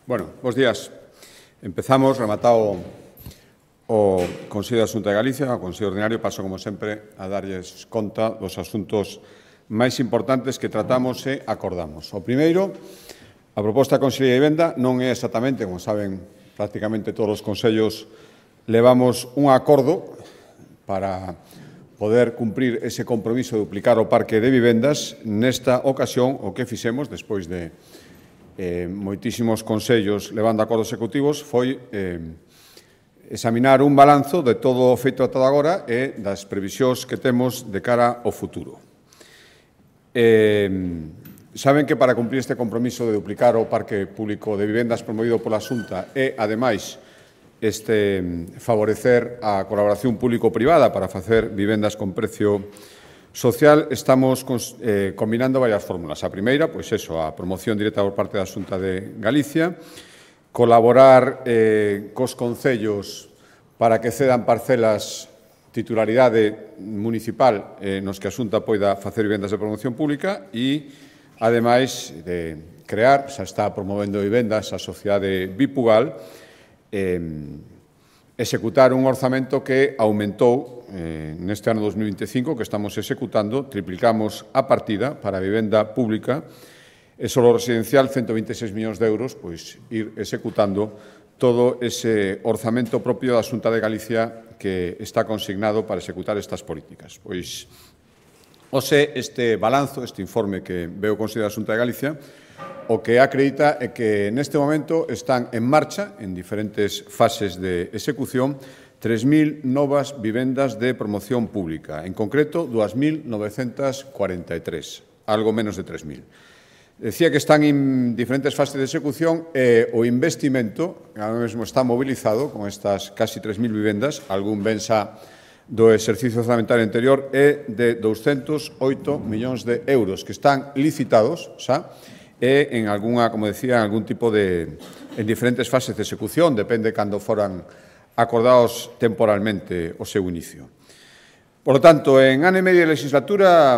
Bueno, bos días. Empezamos, rematado o Consello da Xunta de Galicia, o Consello Ordinario, paso, como sempre, a darlles conta dos asuntos máis importantes que tratamos e acordamos. O primeiro, a proposta da Consellería de Vivenda non é exactamente, como saben, prácticamente todos os consellos levamos un acordo para poder cumprir ese compromiso de duplicar o parque de vivendas. Nesta ocasión, o que fixemos, despois de moitísimos consellos levando acordos executivos, foi examinar un balanzo de todo o feito ata agora e das previsións que temos de cara ao futuro. Saben que para cumprir este compromiso de duplicar o parque público de vivendas promovido pola Xunta e, ademais, favorecer a colaboración público-privada para facer vivendas con precio social, estamos combinando varias fórmulas. A primeira, pois eso, a promoción directa por parte da Xunta de Galicia, colaborar cos concellos para que cedan parcelas titularidade municipal nos que a Xunta poida facer vivendas de promoción pública e, ademais, de crear, xa está promovendo vivendas a Sociedade Bipugal, executar un orzamento que aumentou neste ano 2025, que estamos executando, triplicamos a partida para a vivenda pública e solo residencial 126 millóns de euros, pois ir executando todo ese orzamento propio da Xunta de Galicia que está consignado para executar estas políticas. Pois, este balanzo, este informe que veo o Consello da Xunta de Galicia, o que acredita é que neste momento están en marcha, en diferentes fases de execución, 3.000 novas vivendas de promoción pública, en concreto 2.943, algo menos de 3.000. Decía que están en diferentes fases de execución e o investimento ahora mesmo está mobilizado con estas casi 3.000 vivendas, algún ben xa do exercicio orzamentario anterior, é de 208 millóns de euros que están licitados xa e en algunha, como decía, en algún tipo de en diferentes fases de execución, depende cando foran acordados temporalmente o seu inicio. Por lo tanto, en ano e medio de legislatura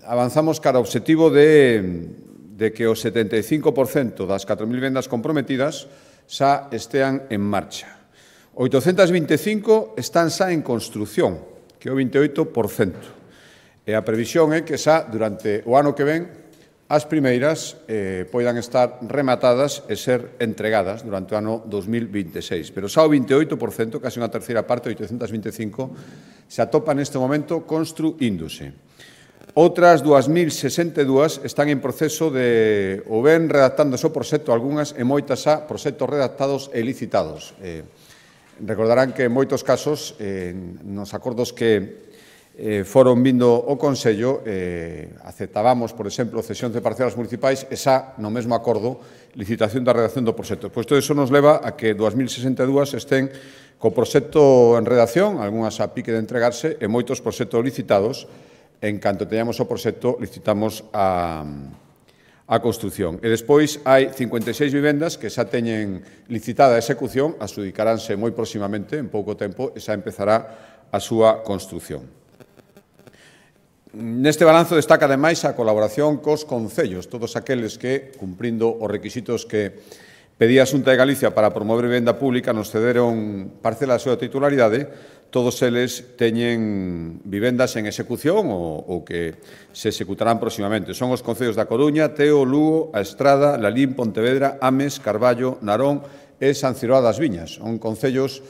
avanzamos cara ao obxectivo de que o 75% das 4.000 vivendas comprometidas xa estean en marcha. 825 están xa en construción, que é o 28%. E a previsión é que xa durante o ano que ven as primeiras poidan estar rematadas e ser entregadas durante o ano 2026. Pero xa o 28%, casi unha terceira parte, 825, se atopa neste momento construíndose. Outras 2.062 están en proceso de ou ben redactándose o proxecto, algunhas e moitas xa proxectos redactados e licitados. Recordarán que en moitos casos, nos acordos que foron vindo o Consello, aceptábamos, por exemplo, cesión de parcelas municipais e xa, no mesmo acordo, licitación da redacción do proxecto. Pois todo iso nos leva a que 2.062 estén co proxecto en redacción, algunhas a pique de entregarse, e moitos proxectos licitados. En canto teñamos o proxecto, licitamos a construción. E despois hai 56 vivendas que xa teñen licitada a execución, adxudicaránse moi próximamente, en pouco tempo, e xa empezará a súa construción. Neste balanzo destaca, ademais, a colaboración cos concellos, todos aqueles que, cumprindo os requisitos que pedía a Xunta de Galicia para promover vivenda pública, nos cederon parcela da súa titularidade, todos eles teñen vivendas en execución ou que se executarán próximamente. Son os concellos da Coruña, Teo, Lugo, A Estrada, Lalín, Pontevedra, Ames, Carballo, Narón e San Ciroa das Viñas. Son concellos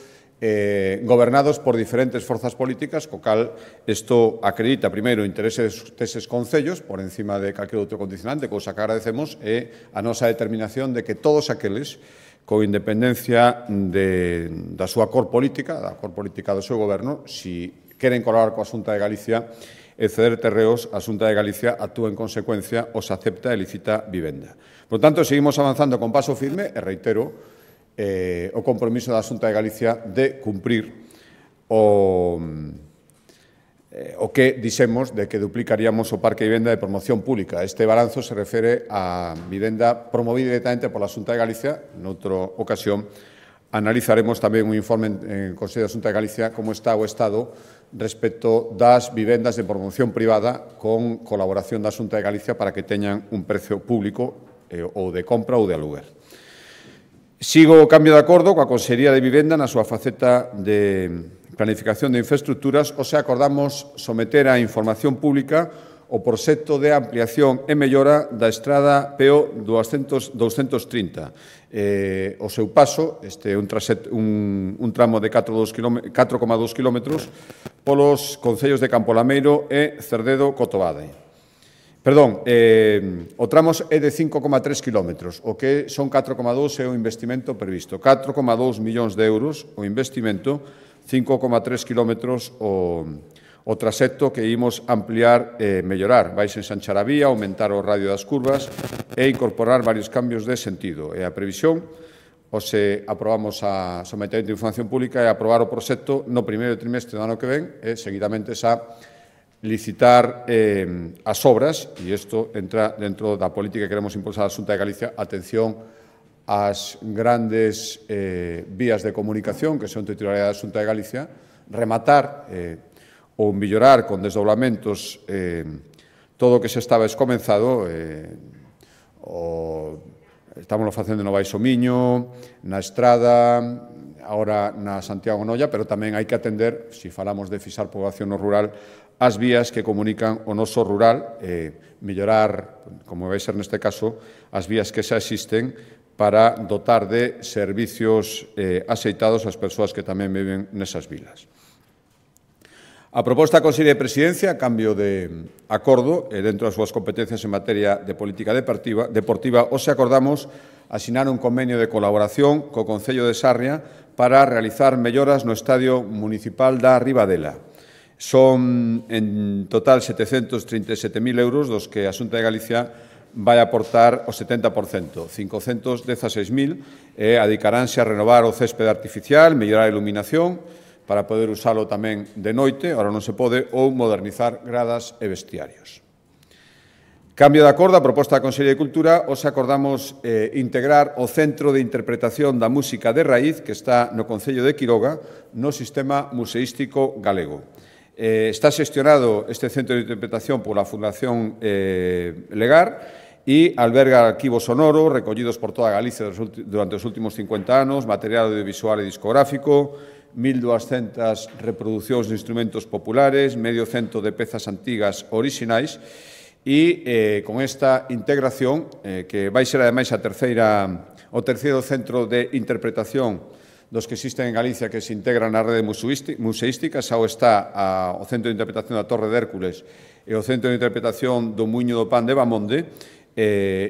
gobernados por diferentes forzas políticas, co cal isto acredita, primeiro, o interese deses concellos por encima de calquer outro condicionante, cousa que agradecemos, e a nosa determinación de que todos aqueles, con independencia da súa cor política, da cor política do seu goberno, si queren colaborar coa Xunta de Galicia e ceder terreos, a Xunta de Galicia actúa en consecuencia, os acepta e licita vivenda. Por tanto, seguimos avanzando con paso firme, e reitero, o compromiso da Xunta de Galicia de cumprir o que dixemos de que duplicaríamos o parque de vivenda de promoción pública. Este balanzo se refere a vivenda promovida directamente pola Xunta de Galicia. Noutra ocasión analizaremos tamén un informe en Consello da Xunta de Galicia como está o estado respecto das vivendas de promoción privada con colaboración da Xunta de Galicia para que teñan un precio público ou de compra ou de aluguer. Sigo o cambio de acordo coa Consellería de Vivenda na súa faceta de planificación de infraestructuras, ou se acordamos someter a información pública o proxecto de ampliación e mellora da estrada PO 230. O seu paso, este é un tramo de 4,2 kilómetros polos concellos de Campolameiro e Cerdedo-Cotobade. Perdón, o tramo é de 5,3 kilómetros, o que son 4,2 é o investimento previsto. 4,2 millóns de euros o investimento, 5,3 kilómetros o traxecto que imos ampliar e mellorar. Vais ensanchar a vía, aumentar o radio das curvas e incorporar varios cambios de sentido. E a previsión, se aprobamos a someter de información pública, é aprobar o proxecto no primeiro trimestre do ano que ven e seguidamente xa licitar as obras, e isto entra dentro da política que queremos impulsar a Xunta de Galicia, atención ás grandes vías de comunicación que son titularidade da Xunta de Galicia, rematar ou mellorar con desdoblamentos todo o que se estaba escomenzado, estamos facendo no Baixo Miño, na Estrada, agora na Santiago Noia, pero tamén hai que atender, se falamos de fixar poboación no rural, as vías que comunican o noso rural, mellorar, como vai ser neste caso, as vías que xa existen para dotar de servicios axeitados ás persoas que tamén viven nesas vilas. A proposta da Consellería de Presidencia, a cambio de acordo, dentro das súas competencias en materia de política deportiva, hoxe acordamos asinar un convenio de colaboración co Concello de Sarria para realizar melloras no Estadio Municipal da Ribadela. Son, en total, 737.000 euros, dos que a Xunta de Galicia vai aportar o 70%, 516.000, e adicaránse a renovar o céspede artificial, mellorar a iluminación, para poder usalo tamén de noite, ahora non se pode, ou modernizar gradas e vestiarios. Cambio de acordo, a proposta da Consellería de Cultura, hoxe acordamos integrar o Centro de Interpretación da Música de Raíz, que está no Concello de Quiroga, no Sistema Museístico Galego. Está xestionado este centro de interpretación pola Fundación Legar e alberga arquivos sonoros recollidos por toda Galicia durante os últimos 50 anos, material audiovisual e discográfico, 1.200 reproducións de instrumentos populares, medio cento de pezas antigas orixinais e con esta integración, que vai ser ademais o terceiro centro de interpretación dos que existen en Galicia que se integran na rede museística, xa está o Centro de Interpretación da Torre de Hércules e o Centro de Interpretación do Muiño do Pan de Bamonde,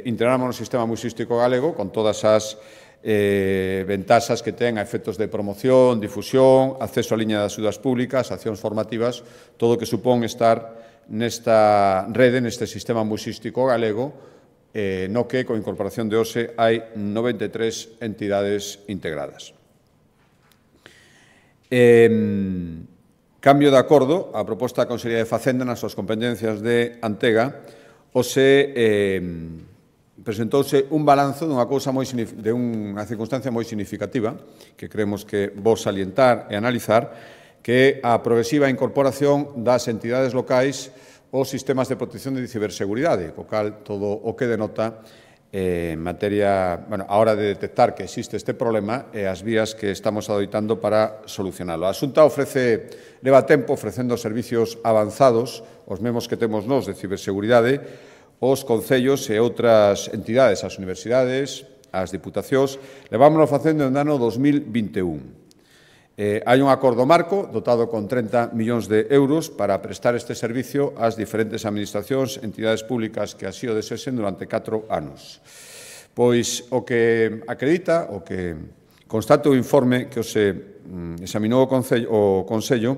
integramos no sistema museístico galego con todas as ventaxas que ten a efectos de promoción, difusión, acceso á liña de axudas públicas, accións formativas, todo o que supón estar nesta rede, neste sistema museístico galego, no que, con incorporación de hoxe, hai 93 entidades integradas. Cambio de acordo, a proposta da Consellería de Facenda nas súas competencias de Antega, presentouse un balanzo dunha circunstancia moi significativa que creemos que vos salientar e analizar, que é a progresiva incorporación das entidades locais aos sistemas de protección de ciberseguridade, co cal todo o que denota en materia, a hora de detectar que existe este problema e as vías que estamos adoitando para solucionalo. A Xunta leva tempo ofrecendo servicios avanzados, os mesmos que temos nós de ciberseguridade, os concellos e outras entidades, as universidades, as diputacións, levámonos facendo no ano 2021. Hai un acordo marco dotado con 30 millóns de euros para prestar este servicio ás diferentes administracións, entidades públicas que así o desexen durante 4 anos. Pois o que acredita, o que constata o informe que se examinou o Consello,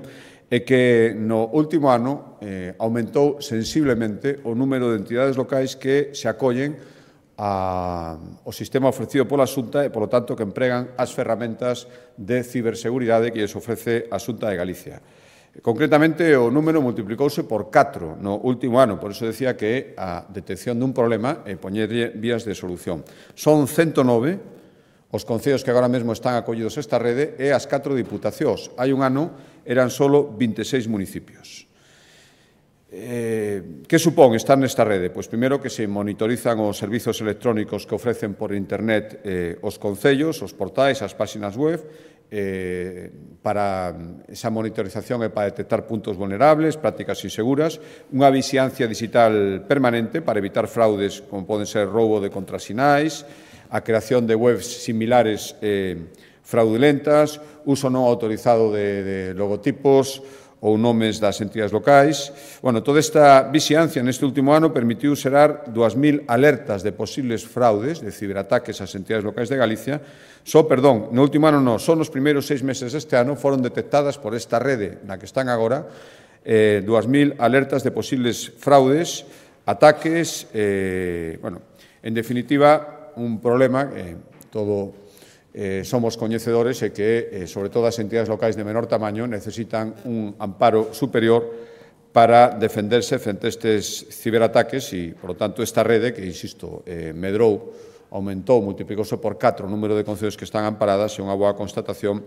é que no último ano aumentou sensiblemente o número de entidades locais que se acollen ao sistema ofrecido pola Xunta e, polo tanto, que empregan as ferramentas de ciberseguridade que lles ofrece a Xunta de Galicia. Concretamente, o número multiplicouse por 4 no último ano, por iso decía que a detección dun problema e poñerlle vías de solución. Son 109 os concellos que agora mesmo están acollidos a esta rede e as 4 diputacións. Hai un ano eran só 26 municipios. Que supón estar nesta rede? Pois, primeiro, que se monitorizan os servizos electrónicos que ofrecen por internet os concellos, os portais, as páxinas web, para esa monitorización e para detectar puntos vulnerables, prácticas inseguras, unha vixiancia digital permanente para evitar fraudes como poden ser roubo de contrasinais, a creación de webs similares fraudulentas, uso non autorizado de logotipos ou nomes das entidades locais. Bueno, toda esta vixiancia neste último ano permitiu xerar 2.000 alertas de posibles fraudes, de ciberataques ás entidades locais de Galicia. No último ano non, só nos primeiros 6 meses deste ano foron detectadas por esta rede na que están agora 2.000 alertas de posibles fraudes, ataques, en definitiva, un problema que todo somos coñecedores e que, sobre todo, as entidades locais de menor tamaño necesitan un amparo superior para defenderse frente a estes ciberataques e, por lo tanto, esta rede, que, insisto, medrou, aumentou, multiplicouse por 4 o número de concellos que están amparadas, é unha boa constatación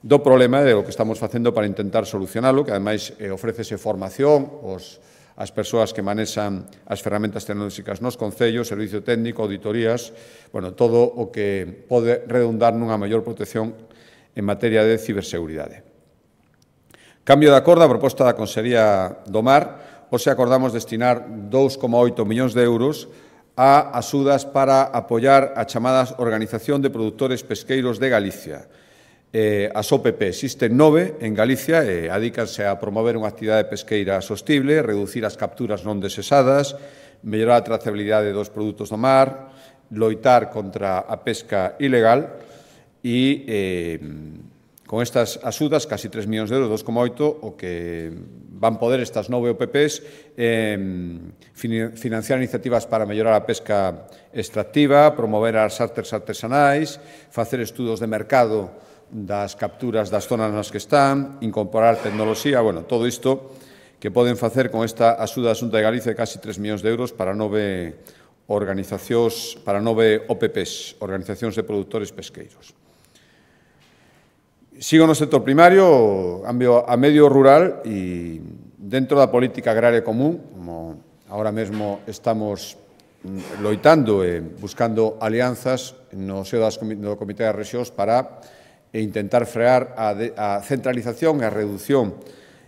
do problema e do que estamos facendo para intentar solucionalo, que, ademais, ofrécese formación as persoas que manexan as ferramentas tecnolóxicas nos concellos, servicio técnico, auditorías, todo o que pode redundar nunha maior protección en materia de ciberseguridade. Cambio de acordo, a proposta da Consellería do Mar, hoxe acordamos destinar 2,8 millóns de euros a axudas para apoiar a chamada Organización de Produtores Pesqueiros de Galicia. As OPP existen 9 en Galicia e adícanse a promover unha actividade pesqueira sostible, reducir as capturas non desesadas, mellorar a trazabilidade dos produtos do mar, loitar contra a pesca ilegal e con estas axudas, casi 3 millóns de euros, 2,8, o que van poder estas 9 OPPs financiar iniciativas para mellorar a pesca extractiva, promover as artes artesanais, facer estudos de mercado das capturas das zonas nas que están, incorporar tecnoloxía, todo isto que poden facer con esta axuda da Xunta de Galicia de casi 3 millóns de euros para 9 organizacións, para 9 OPPs, Organizacións de Produtores Pesqueiros. Sigo no sector primario, a medio rural e dentro da política agraria común, como agora mesmo estamos loitando e buscando alianzas no seo do Comité das Rexións para intentar frear a centralización e a reducción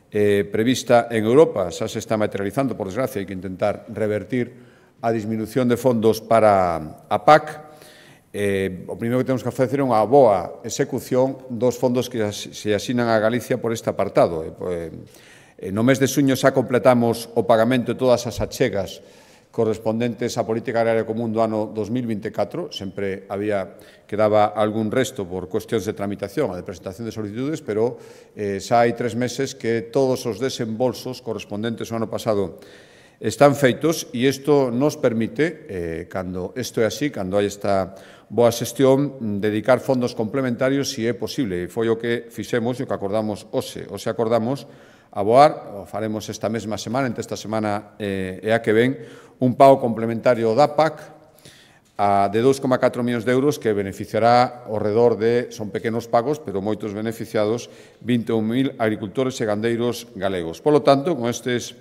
prevista en Europa. Xa se está materializando, por desgracia, hai que intentar revertir a disminución de fondos para a PAC. O primeiro que temos que facer é unha boa execución dos fondos que se asinan a Galicia por este apartado. No mes de xuño xa completamos o pagamento de todas as achegas correspondentes á política agraria común do ano 2024. Sempre quedaba algún resto por cuestións de tramitación e de presentación de solicitudes, pero xa hai 3 meses que todos os desembolsos correspondentes ao ano pasado están feitos e isto nos permite, cando isto é así, cando hai esta boa xestión, dedicar fondos complementarios se é posible. E foi o que fixemos e o que acordamos hoxe. Hoxe acordamos aboar, faremos esta mesma semana, entre esta semana e a que ven, un pago complementario da PAC de 2,4 millóns de euros que beneficiará ao redor de, son pequenos pagos, pero moitos beneficiados, 21.000 agricultores e gandeiros galegos. Por lo tanto, con estes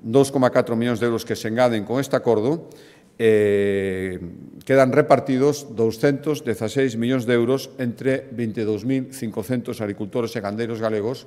2,4 millóns de euros que se engaden con este acordo, quedan repartidos 216 millóns de euros entre 22.500 agricultores e gandeiros galegos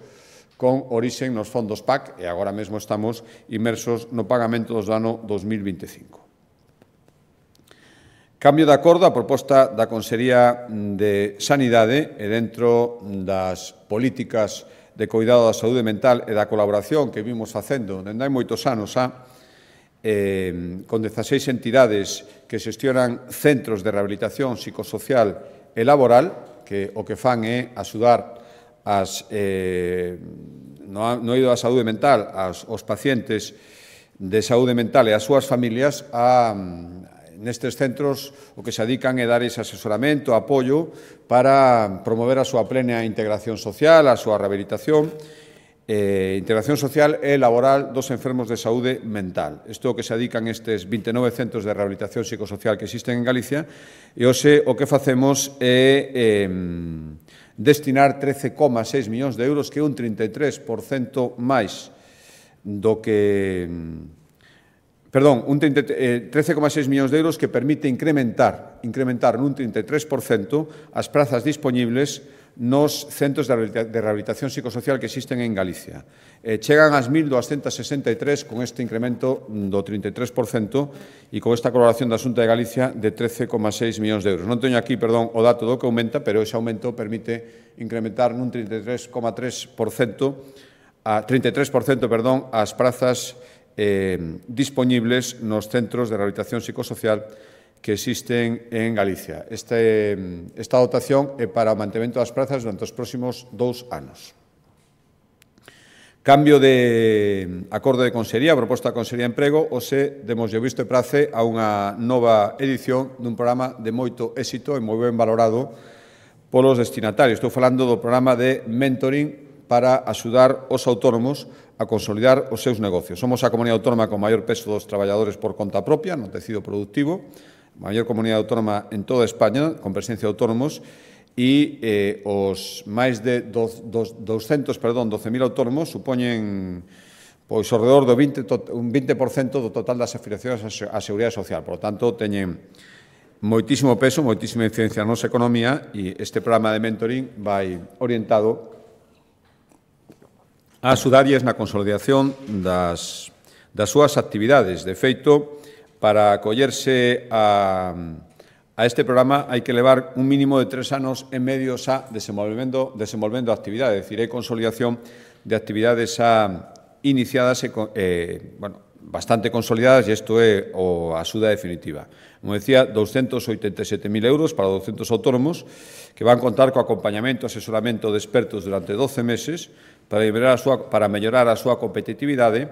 con orixe nos fondos PAC e agora mesmo estamos inmersos no pagamento do ano 2025. Cambio de acordo, a proposta da Consellería de Sanidade e dentro das políticas de cuidado da saúde mental e da colaboración que vimos facendo dende hai moitos anos con 16 entidades que xestionan centros de rehabilitación psicosocial e laboral, que o que fan é axudar no eido da saúde mental aos pacientes de saúde mental e as súas familias nestes centros o que se dedican é dar ese asesoramento, apoio para promover a súa plena integración social, a súa rehabilitación, integración social e laboral dos enfermos de saúde mental. Isto é o que se dedican estes 29 centros de rehabilitación psicosocial que existen en Galicia e hoxe o que facemos é destinar 13,6 millóns de euros, que é un 33% máis do que... Perdón, 13,6 millóns de euros que permite incrementar nun 33% as prazas dispoñibles nos centros de rehabilitación psicosocial que existen en Galicia. Chegan ás 1.263 con este incremento do 33% e con esta colaboración da Xunta de Galicia de 13,6 millóns de euros. Non teño aquí, perdón, o dato do que aumenta, pero ese aumento permite incrementar nun 33%, as prazas dispoñibles nos centros de rehabilitación psicosocial que existen en Galicia. Esta dotación é para o mantemento das prazas durante os próximos 2 anos. Cambio de acordo de consellería, proposta de Consellería de Emprego, hoxe demos o visto e prace a unha nova edición dun programa de moito éxito e moi ben valorado polos destinatarios. Estou falando do programa de mentoring para axudar os autónomos a consolidar os seus negocios. Somos a comunidade autónoma con maior peso dos traballadores por conta propia no tecido productivo, a maior comunidade autónoma en toda España, con presencia de autónomos, e os máis de 12.000 autónomos supoñen pois ao redor do un 20% do total das afiliacións á Seguridade Social. Por lo tanto, teñen moitísimo peso, moitísima incidencia na nosa economía e este programa de mentoring vai orientado a axudarlles na consolidación das súas actividades. De feito, para acollerse a este programa hai que levar un mínimo de 3 anos e medio xa desenvolvendo a actividade, é dicir, hai consolidación de actividades xa iniciadas bastante consolidadas e isto é a axuda definitiva. Como decía, 287.000 euros para 200 autónomos que van contar co acompañamento e asesoramento de expertos durante 12 meses para mellorar a súa competitividade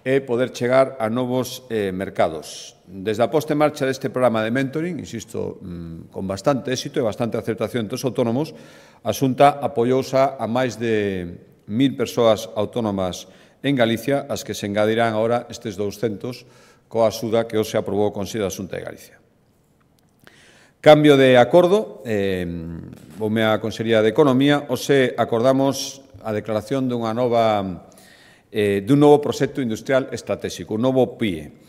e poder chegar a novos mercados. Desde a posta en marcha deste programa de mentoring, insisto, con bastante éxito e bastante aceptación entre os autónomos, a Xunta apoiouse a máis de 1.000 persoas autónomas en Galicia, as que se engadirán agora estes 200 coa axuda que hoxe aprobou o Consello da Xunta de Galicia. Cambio de acordo, voume á Consellería de Economía, hoxe acordamos a declaración dun novo proxecto industrial estratégico, un novo PIE.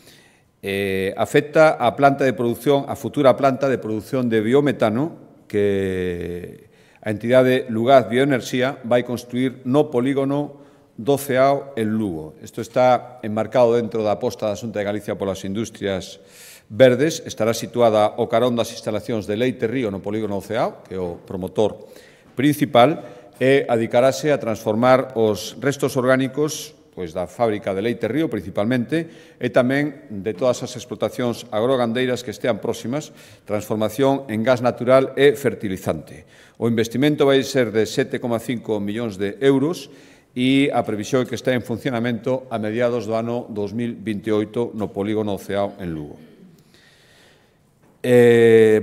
Afecta a planta de produción, a futura planta de produción de biometano que a entidade Lugaz Bioenerxía vai construir no polígono do Ceao en Lugo. Isto está enmarcado dentro da aposta da Xunta de Galicia polas industrias verdes, estará situada ao carón das instalacións de Leite Río no polígono do Ceao, que é o promotor principal, e adicarase a transformar os restos orgánicos da fábrica de Leite Río, principalmente, e tamén de todas as explotacións agrogandeiras que estean próximas, transformación en gas natural e fertilizante. O investimento vai ser de 7,5 millóns de euros e a previsión é que este en funcionamento a mediados do ano 2028 no polígono Ceao en Lugo.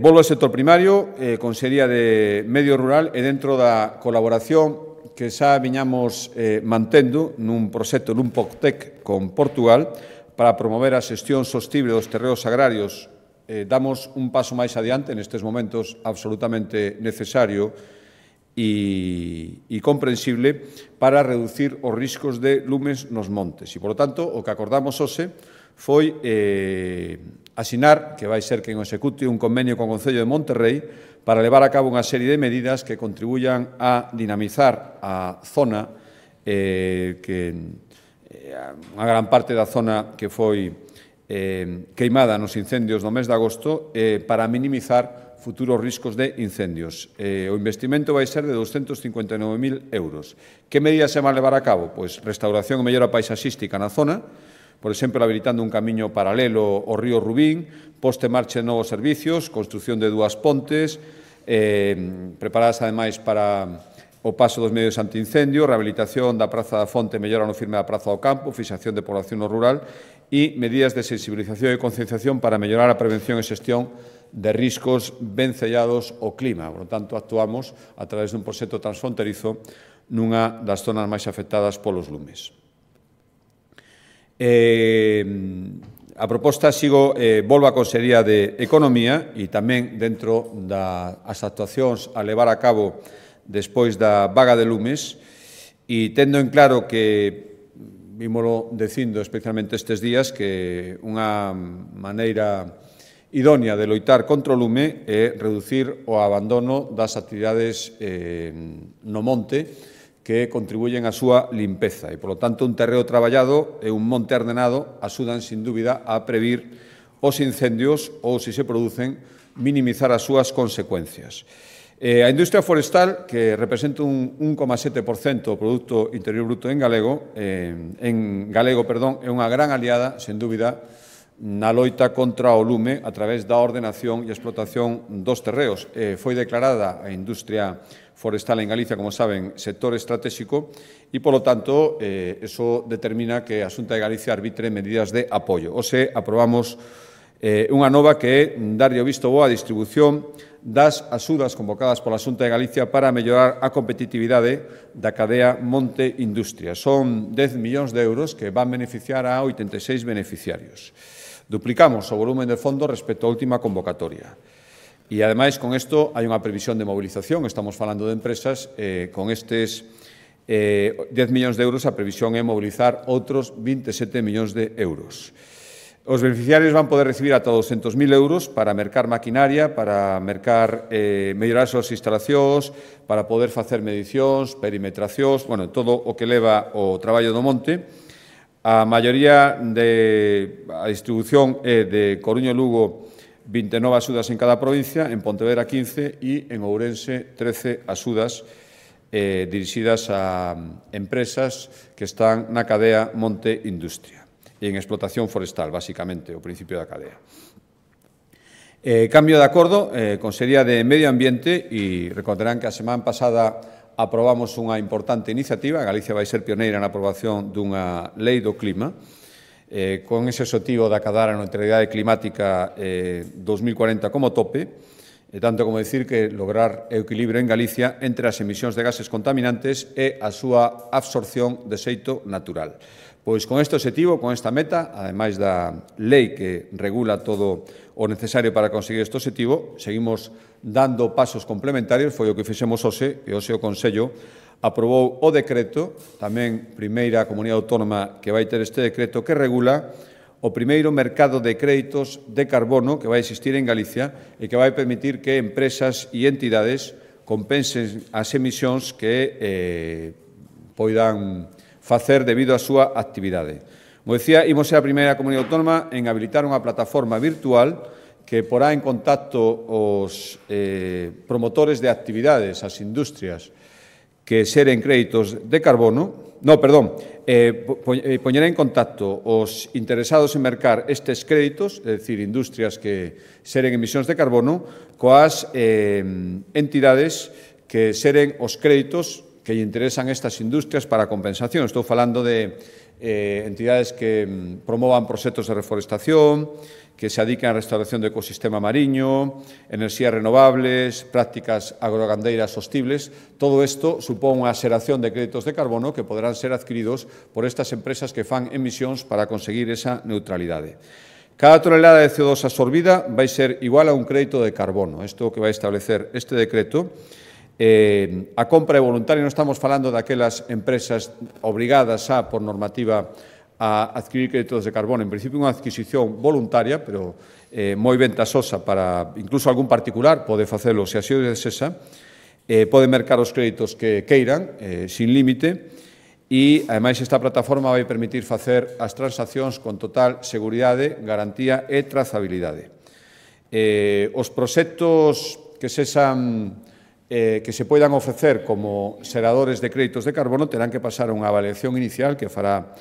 Volvo ao sector primario, Consellería de Medio Rural e dentro da colaboración que xa viñamos mantendo nun proxecto, nun POCTEC con Portugal para promover a xestión sostible dos terreos agrarios. Damos un paso máis adiante nestes momentos absolutamente necesario e comprensible para reducir os riscos de lumes nos montes. E, por lo tanto, o que acordamos hoxe foi asinar, que vai ser quen o execute, un convenio con o Concello de Monterrei para levar a cabo unha serie de medidas que contribuyan a dinamizar a zona, unha gran parte da zona que foi queimada nos incendios no mes de agosto, para minimizar futuros riscos de incendios. O investimento vai ser de 259.000 euros. Que medidas se van levar a cabo? Pois restauración e mellora paisaxística na zona, por exemplo, habilitando un camiño paralelo ao río Rubín, poste en marcha de novos servicios, construción de 2 pontes, preparadas ademais para o paso dos medios antiincendio, rehabilitación da Praza da Fonte, mellora no firme da Praza do Campo, fixación de población no rural e medidas de sensibilización e concienciación para mellorar a prevención e xestión de riscos vencellados ao clima. Por lo tanto, actuamos a través dun proxecto transfronterizo nunha das zonas máis afectadas polos lumes. A proposta volvo á Consellería de Economía e tamén dentro das actuacións a levar a cabo despois da vaga de lumes e tendo en claro que vímolo dicindo especialmente estes días que unha maneira idónea de loitar contra o lume é reducir o abandono das actividades no monte que contribuyen á súa limpeza e, polo tanto, un terreo traballado e un monte ordenado axudan, sin dúbida, a previr os incendios ou, se se producen, minimizar as súas consecuencias. A industria forestal, que representa un 1,7% do Produto Interior Bruto en galego, é unha gran aliada, sen dúbida, na loita contra o lume a través da ordenación e explotación dos terreos. Foi declarada a industria forestal en Galicia, como saben, sector estratégico e, polo tanto, eso determina que a Xunta de Galicia arbitre medidas de apoio. Hoxe aprobamos unha nova que é darlle o visto bo á distribución das axudas convocadas pola Xunta de Galicia para mellorar a competitividade da cadea Monte Industria. Son 10 millóns de euros que van beneficiar a 86 beneficiarios. Duplicamos o volumen de fondo respecto á última convocatoria. E, ademais, con isto hai unha previsión de mobilización. Estamos falando de empresas. Con estes 10 millóns de euros, a previsión é mobilizar outros 27 millóns de euros. Os beneficiarios van poder recibir ata 200.000 euros para mercar maquinaria, para mercar, mellorar as súas instalacións, para poder facer medicións, perimetracións, bueno, todo o que leva o traballo do monte. A maioría a distribución é de Coruña e Lugo 29 axudas en cada provincia, en Pontevedra 15 e en Ourense 13 axudas dirixidas a empresas que están na cadea Monte Industria e en explotación forestal, basicamente, o principio da cadea. Cambio de acordo, Consellería de Medio Ambiente, e recordarán que a semana pasada aprobamos unha importante iniciativa. Galicia vai ser pioneira na aprobación dunha lei do clima, con ese objetivo de acadar a neutralidade climática 2040 como tope, e tanto como decir que lograr o equilibrio en Galicia entre as emisións de gases contaminantes e a súa absorción de xeito natural. Pois con este objetivo, con esta meta, ademais da lei que regula todo o necesario para conseguir este objetivo, seguimos dando pasos complementarios. Foi o que fixemos hoxe, e hoxe o Consello aprobou o decreto, tamén primeira comunidade autónoma que vai ter este decreto, que regula o primeiro mercado de créditos de carbono que vai existir en Galicia e que vai permitir que empresas e entidades compensen as emisións que poidan facer debido á súa actividade. Como decía, imos ser a primeira comunidade autónoma en habilitar unha plataforma virtual que porá en contacto os promotores de actividades, as industrias que xeren créditos de carbono, poñerá en contacto os interesados en mercar estes créditos, é dicir, industrias que xeren emisións de carbono, coas entidades que xeren os créditos que lle interesan estas industrias para a compensación. Estou falando de entidades que promovan proxectos de reforestación, que se adiquen á restauración do ecosistema mariño, enerxías renovables, prácticas agrogandeiras sostibles. Todo isto supón unha xeración de créditos de carbono que poderán ser adquiridos por estas empresas que fan emisións para conseguir esa neutralidade. Cada tonelada de CO2 absorbida vai ser igual a un crédito de carbono. Isto que vai establecer este decreto. A compra é voluntaria, non estamos falando daquelas empresas obrigadas por normativa a adquirir créditos de carbono. En principio, unha adquisición voluntaria, pero moi ventasosa para incluso algún particular, pode facelo se así o desesa, pode mercar os créditos que queiran, sin límite, e, ademais, esta plataforma vai permitir facer as transaccións con total seguridade, garantía e trazabilidade. Os proxectos que se poidan ofrecer como xeradores de créditos de carbono terán que pasar unha avaliación inicial que fará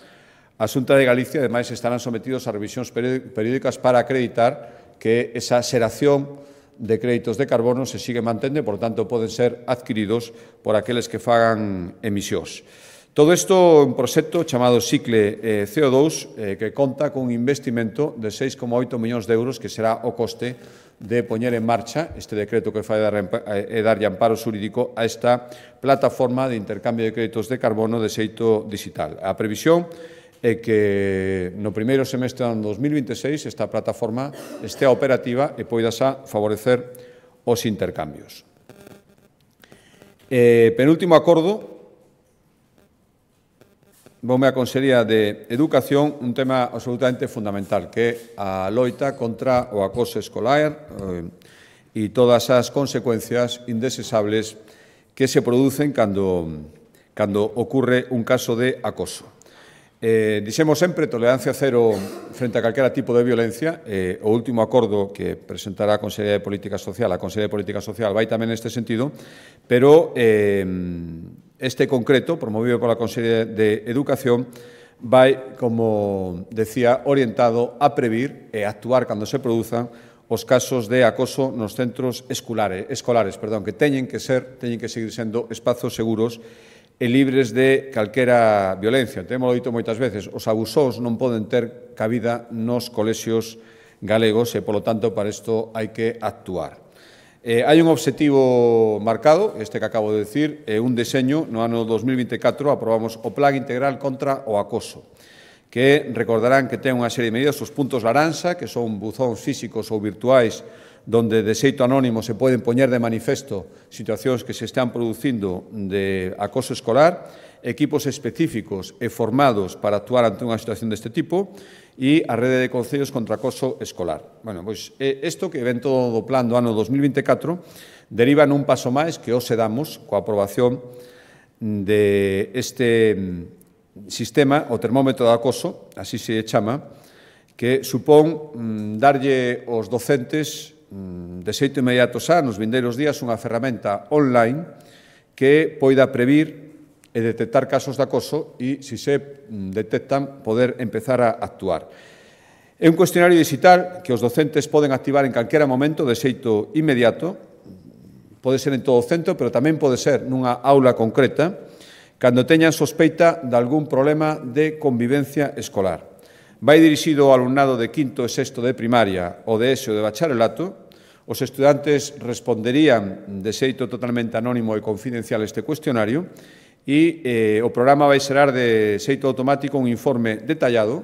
a Xunta de Galicia. Ademais, estarán sometidos a revisións periódicas para acreditar que esa xeración de créditos de carbono se sigue mantendo e, por tanto, poden ser adquiridos por aqueles que fagan emisións. Todo isto é un proxecto chamado Cicle CO2 que conta con un investimento de 6,8 millóns de euros que será o coste de poñer en marcha este decreto que fai e darlle amparo xurídico a esta plataforma de intercambio de créditos de carbono de xeito digital. A previsión é que no primeiro semestre do 2026 esta plataforma estea operativa e poida favorecer os intercambios. Penúltimo acordo voume a Consellería de Educación un tema absolutamente fundamental, que é a loita contra o acoso escolar e todas as consecuencias indeseables que se producen cando ocurre un caso de acoso. Dixemos sempre tolerancia cero frente a calquera tipo de violencia. O último acordo que presentará a Consellería de Política Social, a Consellería de Política Social vai tamén neste sentido, pero este concreto, promovido pola Consellería de Educación, vai, como decía, orientado a previr e actuar cando se produzan os casos de acoso nos centros escolares, que teñen que seguir sendo espazos seguros e libres de calquera violencia. Temos dito moitas veces, os abusós non poden ter cabida nos colexios galegos e, polo tanto, para isto hai que actuar. Hai un obxectivo marcado, este que acabo de decir, un deseño. No ano 2024 aprobamos o Plan Integral contra o Acoso, que recordarán que ten unha serie de medidas, os puntos laranxa, que son buzóns físicos ou virtuais, donde de xeito anónimo se poden poñer de manifesto situacións que se están producindo de acoso escolar, equipos específicos e formados para actuar ante unha situación deste tipo, e a rede de concellos contra acoso escolar. Bueno, pois isto que ven todo do plan do ano 2024 deriva nun paso máis que hoxe damos coa aprobación deste sistema, o termómetro de acoso, así se chama, que supón darlle aos docentes de xeito inmediato xa, nos vindeiros días, unha ferramenta online que poida previr e detectar casos de acoso e, se se detectan, poder empezar a actuar. É un cuestionario digital que os docentes poden activar en calquera momento de xeito inmediato, pode ser en todo o centro, pero tamén pode ser nunha aula concreta, cando teñan sospeita de algún problema de convivencia escolar. Vai dirixido ao alumnado de quinto e sexto de primaria ou de ESO de bacharelato. Os estudantes responderían de xeito totalmente anónimo e confidencial este cuestionario e o programa vai xerar de xeito automático un informe detallado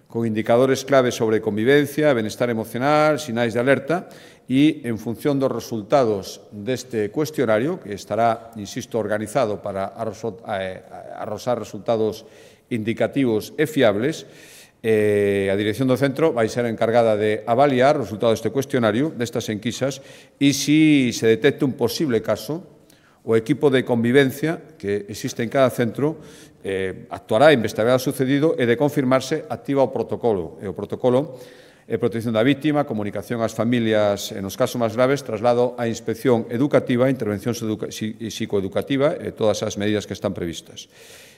con indicadores clave sobre convivencia, benestar emocional, sinais de alerta e, en función dos resultados deste cuestionario, que estará, insisto, organizado para arrosar resultados indicativos e fiables, a dirección do centro vai ser encargada de avaliar o resultado deste cuestionario, destas enquisas, e se se detecta un posible caso, o equipo de convivencia que existe en cada centro actuará, investigará o sucedido e, de confirmarse, activa o protocolo. E o protocolo é protección da vítima, comunicación ás familias nos casos máis graves, traslado á inspección educativa, intervención psicoeducativa e todas as medidas que están previstas.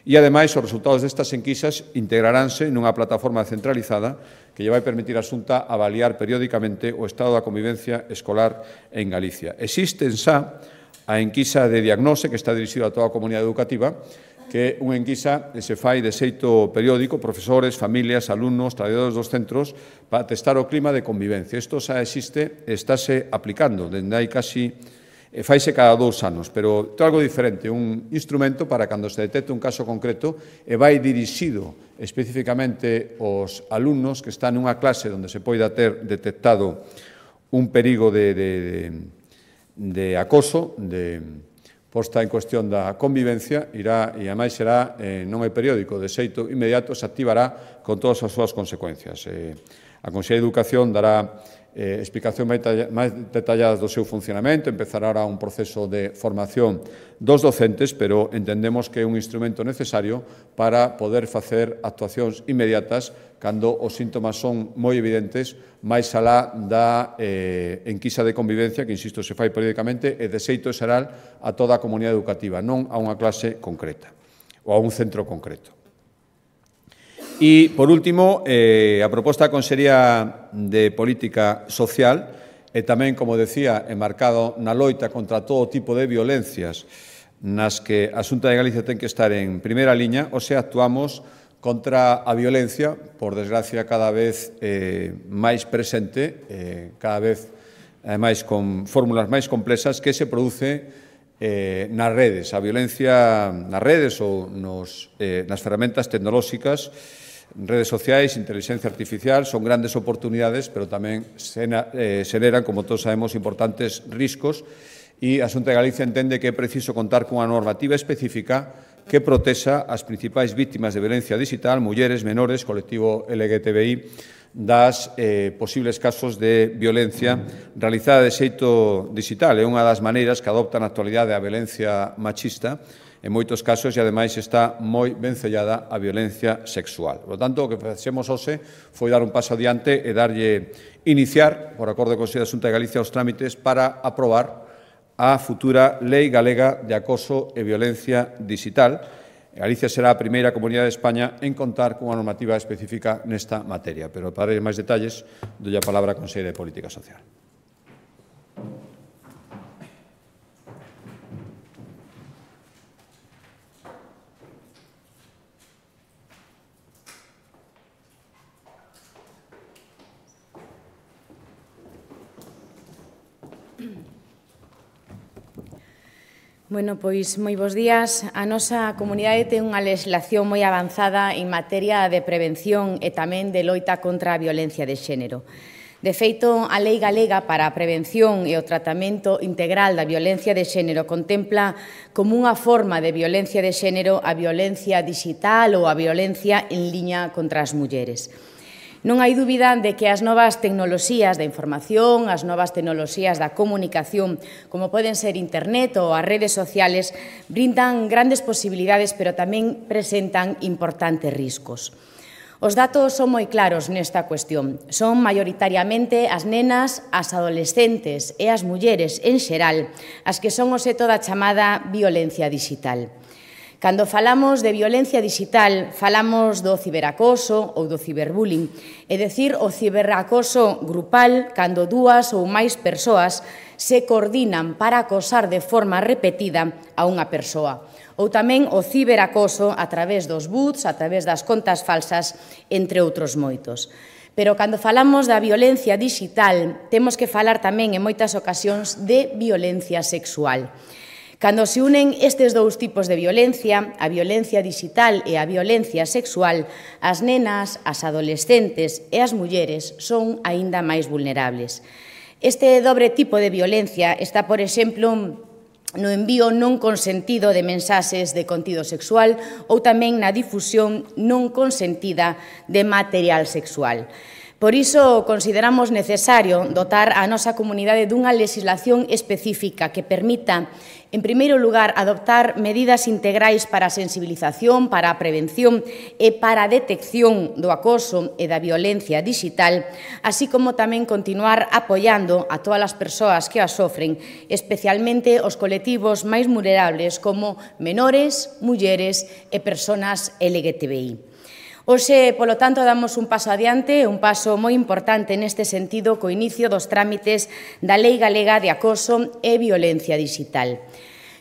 E, ademais, os resultados destas enquisas integraránse nunha plataforma centralizada que lle vai permitir a Xunta avaliar periódicamente o estado da convivencia escolar en Galicia. Existen xa a enquisa de diagnose que está dirixida a toda a comunidade educativa, que é unha enquisa que se fai de xeito periódico, profesores, familias, alumnos, traballadores dos centros, para testar o clima de convivencia. Isto xa existe e estáse aplicando, dende hai casi faise cada 2 anos, pero é algo diferente, un instrumento para cando se detecte un caso concreto e vai dirixido especificamente aos alumnos que están nunha clase onde se poida ter detectado un perigo de acoso, de posta en cuestión da convivencia, irá, e ademais será, non é periódico, de xeito inmediato, se activará con todas as súas consecuencias. A Consellería de Educación dará explicacións máis detalladas do seu funcionamento, empezará ahora un proceso de formación dos docentes, pero entendemos que é un instrumento necesario para poder facer actuacións inmediatas cando os síntomas son moi evidentes, máis alá da enquisa de convivencia, que, insisto, se fai periódicamente e de xeito xeral a toda a comunidade educativa, non a unha clase concreta ou a un centro concreto. E, por último, a proposta da Consellería de Política Social e tamén, como decía, enmarcado na loita contra todo tipo de violencias nas que a Xunta de Galicia ten que estar en primeira liña, ou se actuamos contra a violencia, por desgracia, cada vez máis presente, cada vez, ademais, con fórmulas máis complexas que se produce nas redes. A violencia nas redes ou nas ferramentas tecnolóxicas, redes sociais, inteligencia artificial, son grandes oportunidades, pero tamén xeneran, como todos sabemos, importantes riscos, e a Xunta de Galicia entende que é preciso contar cunha normativa específica que protexa as principais vítimas de violencia digital, mulleres, menores, colectivo LGTBI, das posibles casos de violencia realizada de xeito digital. É unha das maneiras que adopta na actualidade a violencia machista, en moitos casos, e ademais está moi vencellada a violencia sexual. Por lo tanto, o que facemos hoxe foi dar un paso adiante e iniciar, por acordo do Consello da Xunta de Galicia, os trámites para aprobar a futura Lei Galega de Acoso e Violencia Digital. Galicia será a primeira comunidade de España en contar cunha normativa específica nesta materia. Pero para máis detalles, doy a palabra á Conselleira de Política Social. Bueno, pois moi bons días. A nosa comunidade ten unha legislación moi avanzada en materia de prevención e tamén de loita contra a violencia de xénero. De feito, a Lei Galega para a Prevención e o Tratamento Integral da Violencia de Xénero contempla como unha forma de violencia de xénero a violencia digital ou a violencia en liña contra as mulleres. Non hai dúbida de que as novas tecnoloxías da información, as novas tecnoloxías da comunicación, como poden ser internet ou as redes sociales, brindan grandes posibilidades, pero tamén presentan importantes riscos. Os datos son moi claros nesta cuestión. Son maioritariamente as nenas, as adolescentes e as mulleres en xeral as que son o seto da chamada violencia digital. Cando falamos de violencia digital, falamos do ciberacoso ou do ciberbullying, é dicir, o ciberacoso grupal cando dúas ou máis persoas se coordinan para acosar de forma repetida a unha persoa. Ou tamén o ciberacoso a través dos bots, a través das contas falsas, entre outros moitos. Pero cando falamos da violencia digital, temos que falar tamén en moitas ocasións de violencia sexual. Cando se unen estes dous tipos de violencia, a violencia digital e a violencia sexual, as nenas, as adolescentes e as mulleres son aínda máis vulnerables. Este dobre tipo de violencia está, por exemplo, no envío non consentido de mensaxes de contido sexual ou tamén na difusión non consentida de material sexual. Por iso, consideramos necesario dotar a nosa comunidade dunha legislación específica que permita, en primeiro lugar, adoptar medidas integrais para a sensibilización, para a prevención e para a detección do acoso e da violencia digital, así como tamén continuar apoiando a todas as persoas que as sofren, especialmente os colectivos máis vulnerables como menores, mulleres e persoas LGTBI. Hoxe, polo tanto, damos un paso adiante, un paso moi importante neste sentido co inicio dos trámites da Lei Galega de Acoso e Violencia Digital.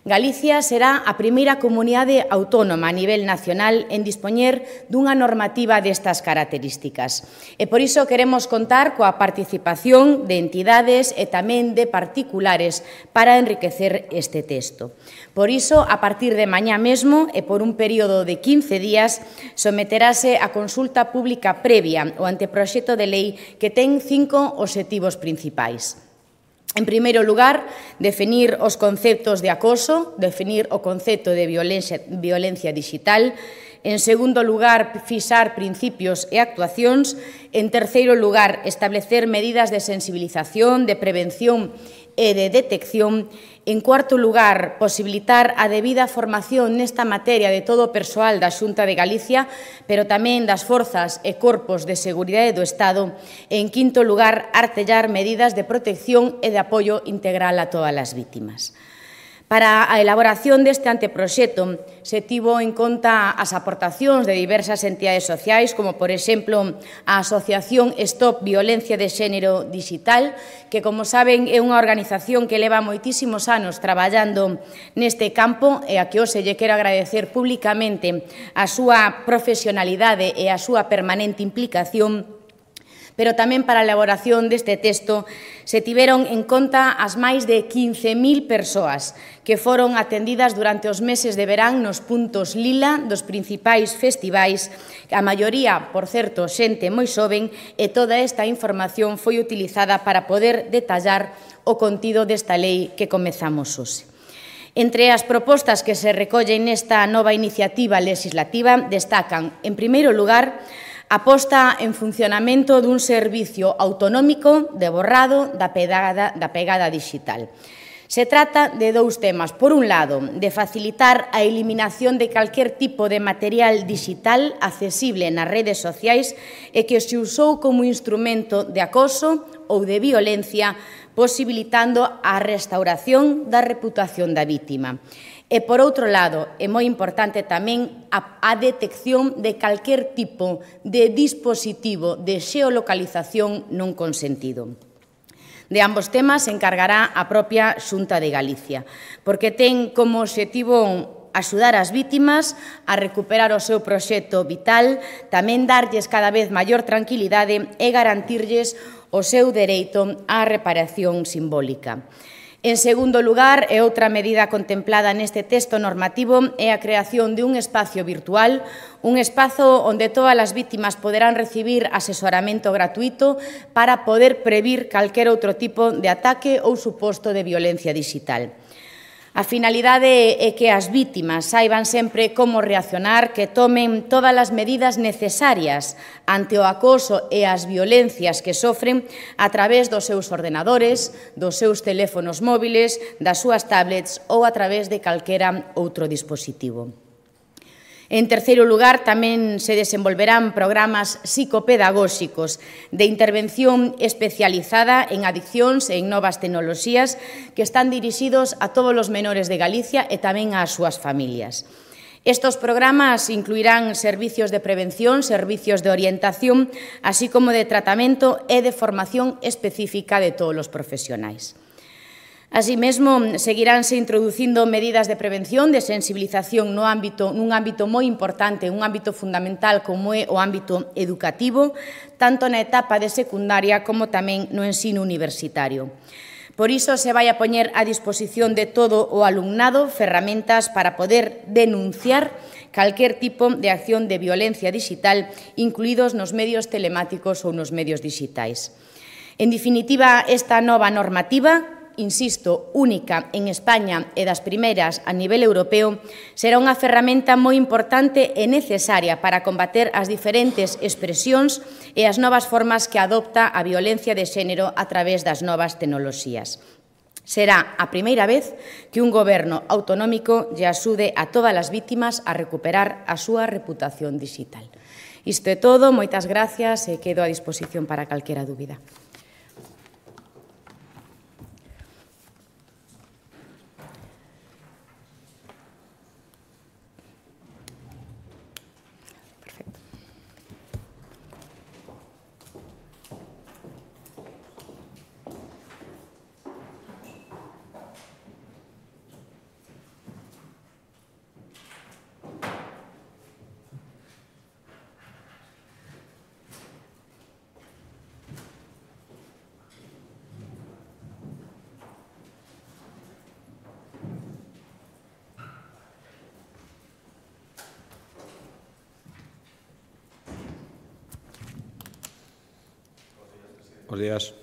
Galicia será a primeira comunidade autónoma a nivel nacional en dispoñer dunha normativa destas características. E por iso queremos contar coa participación de entidades e tamén de particulares para enriquecer este texto. Por iso, a partir de mañá mesmo e por un período de 15 días, someterase a consulta pública previa o anteproxecto de lei que ten 5 obxectivos principais. En primeiro lugar, definir os conceptos de acoso, definir o concepto de violencia digital. En segundo lugar, fixar principios e actuacións. En terceiro lugar, establecer medidas de sensibilización, de prevención e de detección. En cuarto lugar, posibilitar a debida formación nesta materia de todo o persoal da Xunta de Galicia, pero tamén das forzas e corpos de seguridade do Estado. E, en quinto lugar, artellar medidas de protección e de apoio integral a todas as vítimas. Para a elaboración deste anteproxecto se tivo en conta as aportacións de diversas entidades sociais, como, por exemplo, a Asociación Stop Violencia de Xénero Digital, que, como saben, é unha organización que leva moitísimos anos traballando neste campo e a que hoxe lle quero agradecer públicamente a súa profesionalidade e a súa permanente implicación. Pero tamén para a elaboración deste texto se tiveron en conta as máis de 15.000 persoas que foron atendidas durante os meses de verán nos puntos lila dos principais festivais, a maioría, por certo, xente moi xoven, e toda esta información foi utilizada para poder detallar o contido desta lei que comezamos hoxe. Entre as propostas que se recollen nesta nova iniciativa legislativa destacan, en primeiro lugar, a posta en funcionamento dun servicio autonómico de borrado da pegada digital. Se trata de dous temas. Por un lado, de facilitar a eliminación de calquer tipo de material digital accesible nas redes sociais e que se usou como instrumento de acoso ou de violencia, posibilitando a restauración da reputación da vítima. E, por outro lado, é moi importante tamén a detección de calquer tipo de dispositivo de xeolocalización non consentido. De ambos temas se encargará a propia Xunta de Galicia, porque ten como obxectivo axudar as vítimas a recuperar o seu proxecto vital, tamén darlles cada vez maior tranquilidade e garantirlles o seu dereito á reparación simbólica. En segundo lugar, e outra medida contemplada neste texto normativo é a creación de un espacio virtual, un espazo onde todas as vítimas poderán recibir asesoramento gratuito para poder previr calquer outro tipo de ataque ou suposto de violencia digital. A finalidade é que as vítimas saiban sempre como reaccionar, que tomen todas as medidas necesarias ante o acoso e as violencias que sofren a través dos seus ordenadores, dos seus teléfonos móviles, das súas tablets ou a través de calquera outro dispositivo. En terceiro lugar, tamén se desenvolverán programas psicopedagóxicos de intervención especializada en adiccións e en novas tecnoloxías que están dirixidos a todos os menores de Galicia e tamén ás súas familias. Estos programas incluirán servicios de prevención, servicios de orientación, así como de tratamento e de formación específica de todos os profesionais. Así mesmo, seguiránse introducindo medidas de prevención, de sensibilización nun ámbito moi importante, un ámbito fundamental como é o ámbito educativo, tanto na etapa de secundaria como tamén no ensino universitario. Por iso se vai a poñer a disposición de todo o alumnado ferramentas para poder denunciar calquer tipo de acción de violencia digital, incluídos nos medios telemáticos ou nos medios digitais. En definitiva, esta nova normativa, insisto, única en España e das primeiras a nivel europeo, será unha ferramenta moi importante e necesaria para combater as diferentes expresións e as novas formas que adopta a violencia de xénero a través das novas tecnoloxías. Será a primeira vez que un goberno autonómico lle axude a todas as vítimas a recuperar a súa reputación digital. Isto é todo, moitas gracias e quedo a disposición para calquera dúbida. Bos días.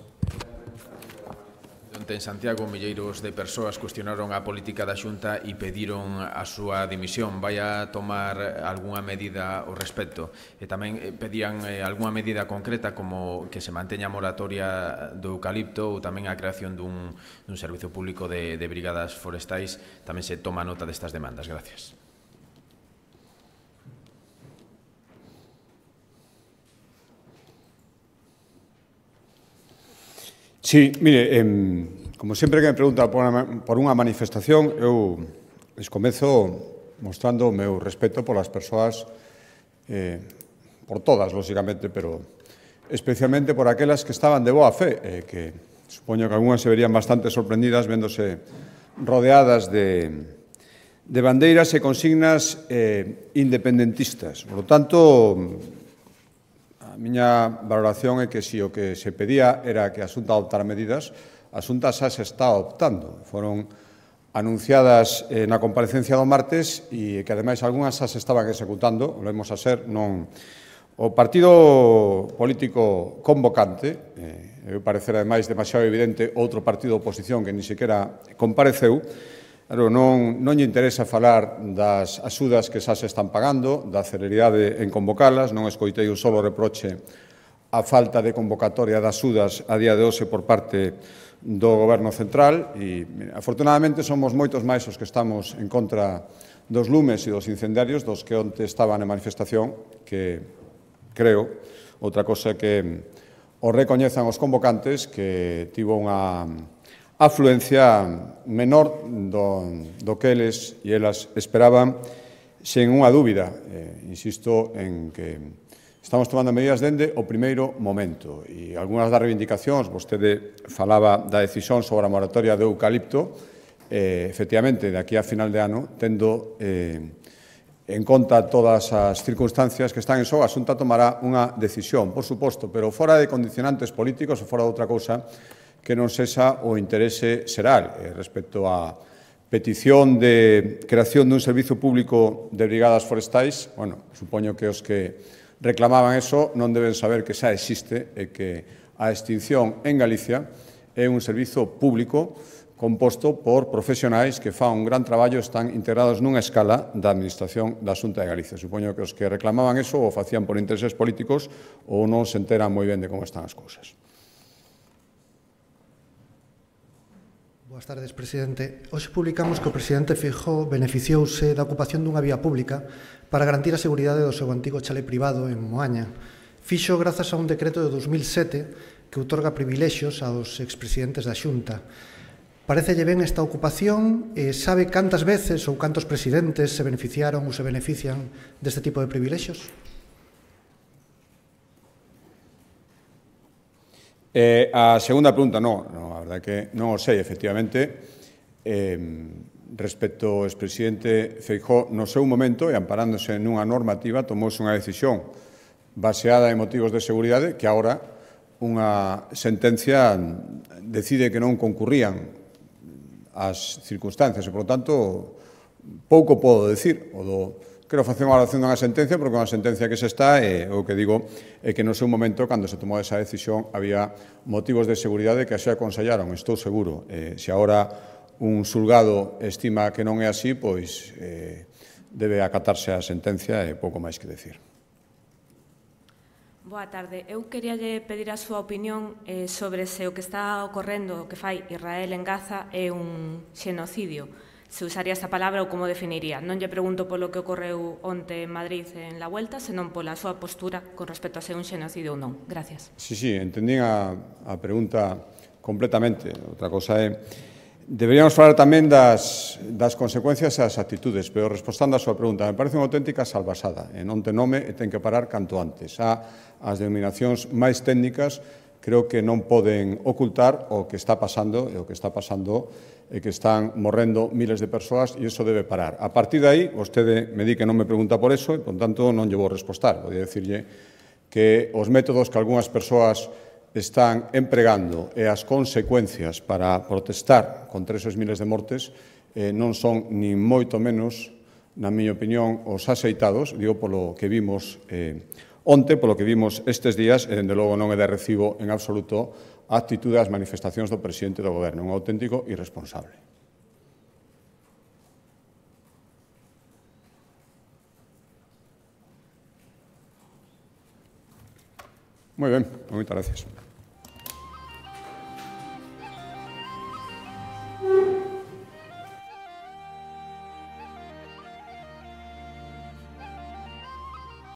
En Santiago, milleiros de persoas cuestionaron a política da Xunta e pediron a súa dimisión. Vai a tomar algunha medida ao respecto? E tamén pedían algunha medida concreta como que se manteña a moratoria do eucalipto ou tamén a creación dun servicio público de brigadas forestais. Tamén se toma nota destas demandas. Gracias. Sí, mire, como sempre que me pregunta por unha manifestación, eu les comezo mostrando o meu respeto polas persoas, por todas, lóxicamente, pero especialmente por aquelas que estaban de boa fe, que supoño que algunhas se verían bastante sorprendidas véndose rodeadas de bandeiras e consignas independentistas. Por lo tanto, a miña valoración é que se o que se pedía era que a Xunta adoptara medidas, a Xunta xa se está adoptando. Foron anunciadas na comparecencia do martes e que, ademais, algunhas xa se estaban executando, volvemos a ser, non. O partido político convocante, eu parecer, ademais, demasiado evidente, outro partido de oposición que ni sequera compareceu, Claro, non lle interesa falar das axudas que xa se están pagando, da celeridade en convocalas, non escoitei un solo reproche a falta de convocatoria das axudas a día de hoxe por parte do Goberno Central e, afortunadamente, somos moitos máis os que estamos en contra dos lumes e dos incendiarios dos que onte estaban en manifestación, que creo, outra cosa que o recoñezan os convocantes, que tivo unha afluencia menor do que eles e elas esperaban, sen unha dúbida. Insisto en que estamos tomando medidas dende o primeiro momento e algunhas das reivindicacións, vostede falaba da decisión sobre a moratoria do eucalipto, efectivamente, de aquí a final de ano, tendo en conta todas as circunstancias que están en xogo, a Xunta tomará unha decisión, por suposto, pero fora de condicionantes políticos ou fora de outra cousa que non sexa o interese xeral respecto á petición de creación dun servizo público de brigadas forestais. Bueno, supoño que os que reclamaban eso non deben saber que xa existe e que a extinción en Galicia é un servizo público composto por profesionais que fan un gran traballo, están integrados nunha escala da Administración da Xunta de Galicia. Supoño que os que reclamaban eso o facían por intereses políticos ou non se enteran moi ben de como están as cousas. Boas tardes, presidente. Hoxe publicamos que o presidente Feijóo beneficiouse da ocupación dunha vía pública para garantir a seguridade do seu antigo chalé privado en Moaña. Fixo grazas a un decreto de 2007 que outorga privilexios aos expresidentes da Xunta. Parecelle ben esta ocupación e sabe cantas veces ou cantos presidentes se beneficiaron ou se benefician deste tipo de privilexios? A segunda pregunta, non, a verdade que non o sei, efectivamente, respecto ao expresidente Feijóo, no seu momento, e amparándose nunha normativa, tomouse unha decisión baseada en motivos de seguridade que agora unha sentencia decide que non concurrían as circunstancias e, por lo tanto, pouco podo decir. Quero facer unha valoración dunha sentencia, porque unha sentencia que se está, o que digo é que no seu momento, cando se tomou esa decisión, había motivos de seguridade que así aconsellaron, estou seguro. Se agora un xulgado estima que non é así, pois debe acatarse a sentencia e pouco máis que decir. Boa tarde. Eu queríalle pedir a súa opinión sobre se o que está ocorrendo, o que fai Israel en Gaza, é un xenocidio. Se usaría esta palabra ou como definiría. Non lle pregunto polo que ocorreu onte en Madrid en la Vuelta, senón pola súa postura con respecto a ser un xenocidio ou non. Gracias. Sí, entendín a pregunta completamente. Outra cosa é... Deberíamos falar tamén das consecuencias e das actitudes, pero respondendo a súa pregunta, me parece unha auténtica salvasada. Non ten nome e ten que parar canto antes. As denominacións máis técnicas creo que non poden ocultar o que está pasando, e o que está pasando é que están morrendo miles de persoas e iso debe parar. A partir de aí, vostede me di que non me pregunta por eso e, por tanto, non lle vou respostar. Vou dicirlle que os métodos que algunhas persoas están empregando e as consecuencias para protestar contra esos miles de mortes non son ni moito menos, na miña opinión, os axeitados, digo polo que vimos onte, polo que vimos estes días, e, dende logo, non é de recibo en absoluto a actitude das manifestacións do presidente do Goberno, un auténtico irresponsable. Moi ben, moitas gracias.